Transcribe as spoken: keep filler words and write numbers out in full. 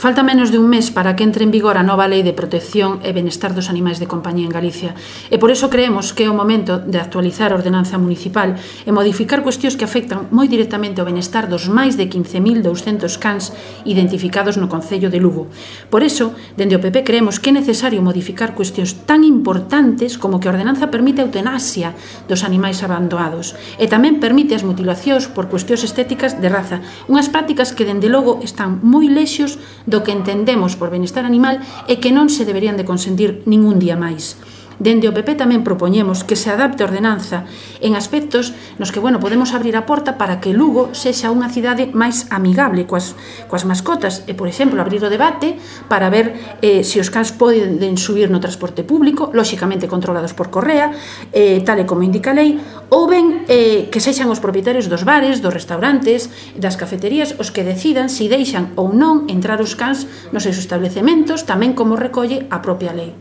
Falta menos de un mes para que entre en vigor a nova Lei de Protección e Benestar dos Animais de Compañía en Galicia e por iso creemos que é o momento de actualizar a ordenanza municipal e modificar cuestións que afectan moi directamente ao benestar dos máis de quince mil douscentos cans identificados no Concello de Lugo. Por iso, dende o P P creemos que é necesario modificar cuestións tan importantes como que a ordenanza permite a eutanasia dos animais abandonados e tamén permite as mutilacións por cuestións estéticas de raza, unhas prácticas que dende logo están moi lexos do que entendemos por benestar animal e que non se deberían de consentir ningún día máis. Dende o P P tamén propoñemos que se adapte a ordenanza en aspectos nos que, bueno, podemos abrir a porta para que Lugo sexa unha cidade máis amigable coas, coas mascotas e, por exemplo, abrir o debate para ver eh, se os cans poden subir no transporte público, lóxicamente controlados por correa, eh, tal e como indica a lei, ou ben eh, que sexan os propietarios dos bares, dos restaurantes, das cafeterías, os que decidan se deixan ou non entrar os cans nos seus establecementos, tamén como recolle a propia lei.